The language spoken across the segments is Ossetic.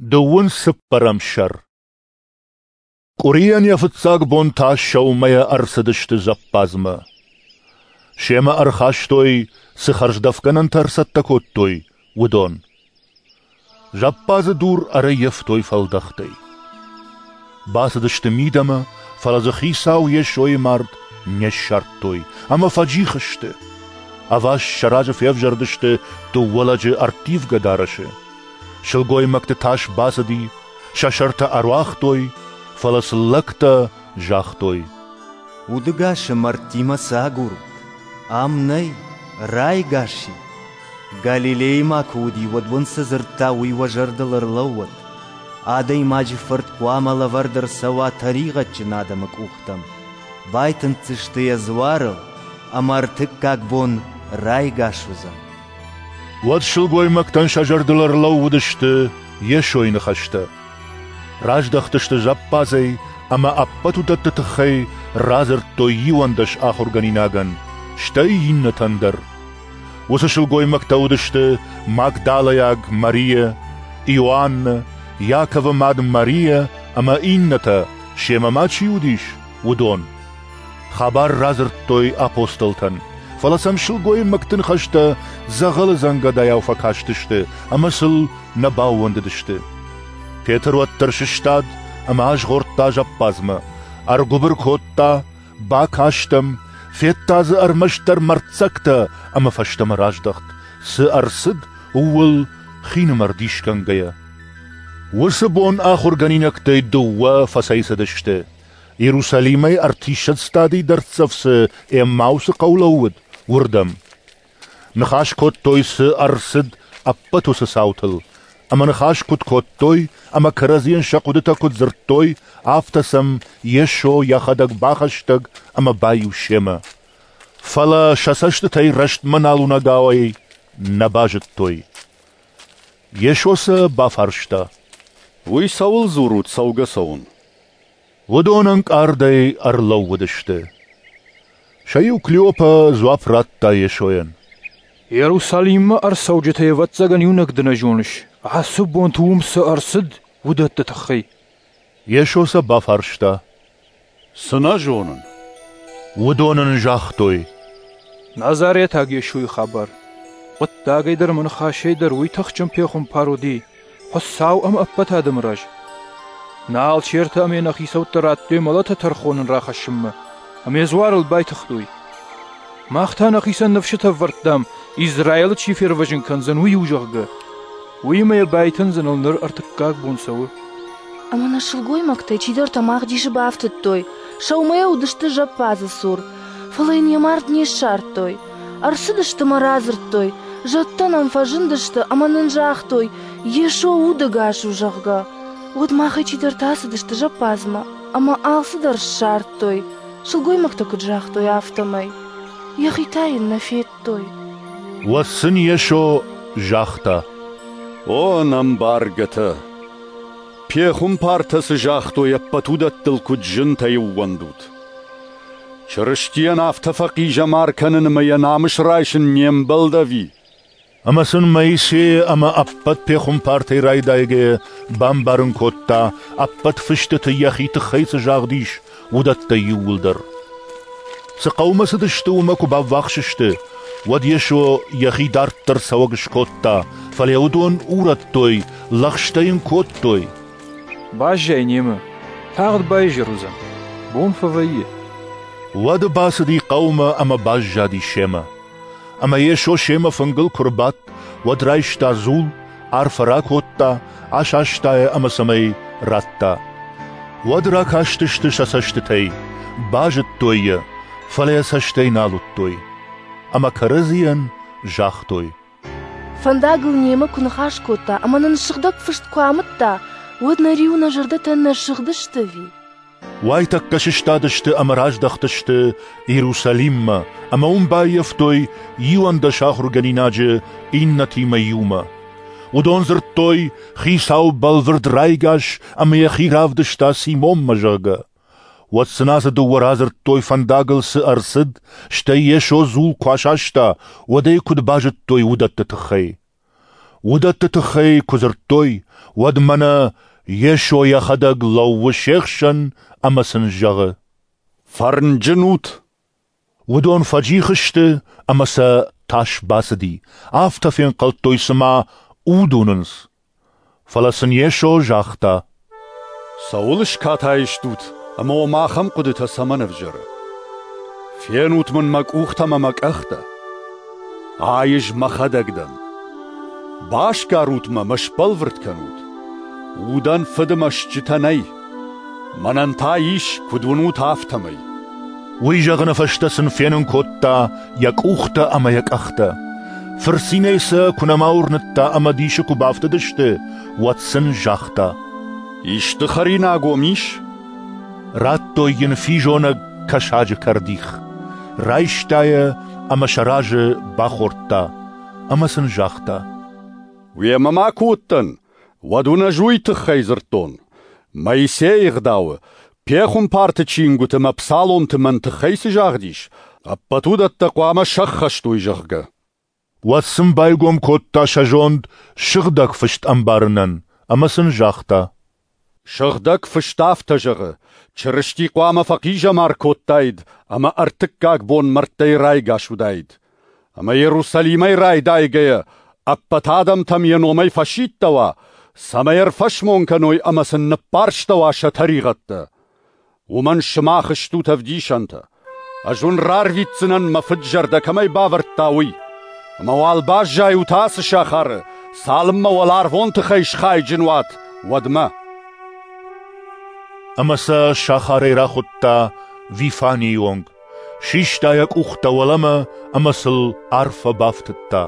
Дыууын цыппӕрӕм сӕр. Къуырийӕн йӕ фыццаг бон та сӕумӕйӕ ӕрцыдысты зӕппадзмӕ. Семӕ ӕрхастой, цы хӕрздӕфгӕнӕнтӕ ӕрцӕттӕ кодтой, уыдон. Зӕппадзы дур ӕрӕййӕфтой фӕлдӕхтӕй. Бацыдысты мидӕмӕ, фӕлӕ дзы Хицау Йесойы мард не ссардтой ӕмӕ фӕджих сты. Ӕваст сӕ разы февзӕрдысты дыууӕ лӕджы ӕрттивгӕ дарӕсы. Сылгоймӕгты тас бацыди, сӕ сӕртӕ ӕруагътой, фӕлӕ сын лӕгтӕ загътой: Удыгасы мӕрдтимӕ цы агурут? Ам нӕй, райгас и. Галилейы ма куы уыди, уӕд уын цы дзырдта, уый уӕ зӕрдыл ӕрлӕууӕд. Адӕймаджы Фырт хъуамӕ лӕвӕрд ӕрцӕуа тӕригъӕдджын адӕмы къухтӕм. Байтынддзысты йӕ дзуарыл, ӕмӕ ӕртыккаг бон райгас уыдзӕн. Уӕд сылгоймӕгтӕн сӕ зӕрдыл ӕрлӕууыдысты Йесойы ныхӕстӕ. Раздӕхтысты зӕппадзӕй ӕмӕ ӕппӕт уыдӕтты тыххӕй радзырдтой 11 ахуыргӕнинагӕн, стӕй иннӕтӕн дӕр. Уыцы сылгоймӕгтӕ уыдысты Магдалӕйаг Марийӕ, Иоаннӕ, Иаковы мад Марийӕ ӕмӕ иннӕтӕ, семӕ ма чи уыдис, уыдон. Хабар радзырдтой апостолтӕн, фӕлӕ сӕм сылгоймӕгты ныхӕстӕ дзӕгъӕлы дзӕнгӕдайау фӕкастысты ӕмӕ сыл нӕ баууӕндыдысты. Петр уӕддӕр сыстад ӕмӕ азгъордта зӕппадзмӕ, ӕргуыбыр кодта, бакаст ӕм, федта дзы ӕрмӕстдӕр мӕрддзӕгтӕ ӕмӕ фӕстӕмӕ раздӕхт, цы ӕрцыд, ууыл хинымӕр дисгӕнгӕйӕ. Уыцы бон ахуыргӕнинӕгтӕй дыууӕ фӕцӕйцыдысты. Иерусалимӕй ӕртиссӕдз стадийы дӕрддзӕф цы Эммаусы хъӕу лӕууыд, уырдӕм. Ныхас кодтой, цы ӕрцыд, ӕппӕт уыцы цаутыл, ӕмӕ ныхас куыд кодтой ӕмӕ кӕрӕдзийӕн сӕ хъуыдытӕ куыд дзырдтой, афтӕ сӕм Йесо йӕхӕдӕг бахӕстӕг ӕмӕ баиу семӕ. Фӕлӕ сӕ цӕстытӕй рӕстмӕ нал уынӕгауӕй нӕ базыдтой. Йесо сӕ бафарста: Уый цӕуыл дзурут цӕугӕ-цӕуын? Уыдон ӕнкъардӕй ӕрлӕууыдысты. Сӕ иу Клеопа дзуапп радта Йесойӕн: Иерусалиммӕ ӕрцӕуджытӕй ӕвӕццӕгӕн иунӕг ды нӕ зоныс, ацы бонты уым цы ӕрцыд, уыдӕтты тыххӕй. Йесо сӕ бафарста: Цы нӕ зонын? Уыдон ын загътой: Назаретаг Йесойы хабар. Хъуыддагӕй дӕр ӕмӕ ныхасӕй дӕр уый тыхджын пехуымпар уыди, Хуыцау ӕмӕ ӕппӕт адӕмы раз. Нӕ алчертӕ ӕмӕ нӕ хицӕуттӕ радтой мӕлӕты тӕрхон ын рахӕссынмӕ, ӕмӕ йӕ дзуарыл байтыгътой. Мах та нӕхицӕн ныфсытӕ ӕвӕрдтам, Израилы чи фервӕзын кӕндзӕн, уый у, зӕгъгӕ. Уыимӕ йӕ байтындзыныл ныр ӕртыккаг бон цӕуы. Ӕмӕ нӕ сылгоймӕгтӕй чидӕртӕ мах дисы бафтыдтой, сӕумӕйӕ уыдысты зӕппадзы цур, фӕлӕ йын йӕ мард не ссардтой. Ӕрцыдысты мӕ радзырдтой, зӕдтӕ нӕм фӕзындысты ӕмӕ нын загътой, Йесо удӕгас у, зӕгъгӕ. Уӕд махӕй чидӕртӕ ацыдысты зӕппадзмӕ ӕмӕ алцыдӕр ссардтой, сылгоймӕгтӕ куыд загътой, афтӕмӕй. Йӕхи та йын нӕ федтой. Уӕд сын Йесо загъта: О, ӕнӕмбаргӕтӕ! Пехуымпартӕ цы загътой, ӕппӕт уыдӕттыл куыд зынтӕй ӕууӕндут! Чырыстийӕн афтӕ фӕхъизӕмар кӕнын ӕмӕ йӕ намыс райсын не мбӕлд ӕви? Ӕмӕ сын Моисейы ӕмӕ ӕппӕт пехуымпартӕй райдайгӕйӕ бамбарын кодта, ӕппӕт фыстыты йӕхи тыххӕй цы загъд ис, уыдӕттӕ иууылдӕр. Цы хъӕумӕ цыдысты, уымӕ куы баввахс сты, уӕд Йесо йӕхи дарддӕр цӕуӕг скодта, фӕлӕ уыдон урӕдтой, лӕгъстӕ йын кодтой: Баззай немӕ, тагъд баизӕр уыдзӕн, бон фӕвӕййы. Уӕд бацыди хъӕумӕ ӕмӕ баззади семӕ. Ӕмӕ Йесо семӕ фынгыл куы рбадт, уӕд райста дзул, арфӕ ракодта, асаста йӕ ӕмӕ цӕмӕй радта. Уӕд ракастысты сӕ цӕстытӕй, базыдтой йӕ, фӕлӕ йӕ цӕстӕй нал уыдтой. Ӕмӕ кӕрӕдзийӕн загътой: Фӕндагыл немӕ куы ныхас кодта ӕмӕ нын сыгъдӕг фыст куы амыдта, уӕд нӕ риуы нӕ зӕрдӕтӕ нӕ сыгъдысты ӕви? Уайтӕккӕ сыстадысты ӕмӕ раздӕхтысты Иерусалиммӕ ӕмӕ уым баййӕфтой 11 ахуыргӕнинаджы иннӕтимӕ иумӕ. Уыдон дзырдтой, Хицау бӕлвырд райгас ӕмӕ йӕхи равдыста Симонмӕ, зӕгъгӕ. Уӕд сын ацы дыууӕ радзырдтой, фӕндагыл цы ӕрцыд, стӕй Йесо дзул куы асаста, уӕд ӕй куыд базыдтой уыдӕтты тыххӕй. Уыдӕтты тыххӕй куы дзырдтой, уӕд мӕнӕ Йесо йӕхӕдӕг лӕууы се хсӕн ӕмӕ сын зӕгъы: Фӕрнджын ут! Уыдон фӕджих сты ӕмӕ сӕ тас бацыди, афтӕ фенхъӕлдтой, цыма уд уынынц. Фӕлӕ сын Йесо загъта: Цӕуыл скатай стут ӕмӕ уӕм ахӕм хъуыдытӕ цӕмӕн ӕвзӕры? Фенут мын мӕ къухтӕ ӕмӕ мӕ къӕхтӕ. Ай ӕз мӕхӕдӕг дӕн. Басгарут мӕ мӕ сбӕлвырд кӕнут. Удӕн фыды мӕстджытӕ нӕй. Мӕнӕн та ис, куыд уынут, афтӕмӕй. Уый зӕгъыны фӕстӕ сын фенын кодта йӕ къухтӕ ӕмӕ йӕ къӕхтӕ. Фырцинӕй сӕ куы нӕма уырныдта ӕмӕ дисы куы бафтыдысты, уӕд сын загъта: Исты хӕринаг уӕм ис? Радтой йын физонӕг кӕсаджы кӕрдих. Райста йӕ ӕмӕ сӕ разы бахордта. Ӕмӕ сын загъта: Уемӕ ма куы уыдтӕн, уӕд уын ӕз уый тыххӕй дзырдтон. Моисейы ӕгъдауы, пехуымпарты чингуыты мӕ псаломты мӕн тыххӕй цы загъд ис, ӕппӕт уыдӕттӕ хъуамӕ сӕххӕст уой, зӕгъгӕ. Уӕд сын байгом кодта сӕ зонд Сыгъдӕг Фыст ӕмбарынӕн ӕмӕ сын загъта: Сыгъдӕг Фыст афтӕ зӕгъы, Чырысти хъуамӕ фӕхъизӕмар кодтаид ӕмӕ ӕртыккаг бон мӕрдтӕй райгас уыдаид. Ӕмӕ Иерусалимӕй райдайгӕйӕ ӕппӕт адӕмтӕм йӕ номӕй фӕсидтӕуа, цӕмӕй ӕрфӕсмон кӕной ӕмӕ сын ныппӕрстӕуа сӕ тӕригъӕдтӕ. Уымӕн сымах стут ӕвдисӕнтӕ. Ӕз уын рарвитдзынӕн, мӕ фыд зӕрдӕ кӕмӕй бавӕрдта, уый. Ӕмӕ уал баззайут ацы сахары, цалынмӕ уӕларвон тыхӕй схайджын уат, уӕдмӕ. Ӕмӕ сӕ сахарӕй рахуыдта Вифанийы онг, систа йӕ къухтӕ уӕлӕмӕ ӕмӕ сыл арфӕ бафтыдта.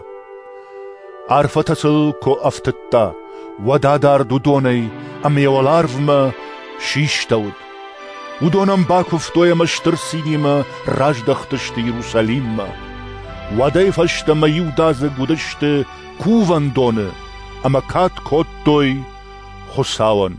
Арфӕтӕ сыл куы ӕфтыдта, уӕд адард уыдонӕй ӕмӕ йӕ уӕларвмӕ систӕуыд. Уыдон ӕм бакуывтой ӕмӕ стыр цинимӕ раздӕхтысты Иерусалиммӕ. Уӕдӕй фӕстӕмӕ иудадзыг уыдысты кувӕндоны ӕмӕ кад кодтой Хуыцауӕн.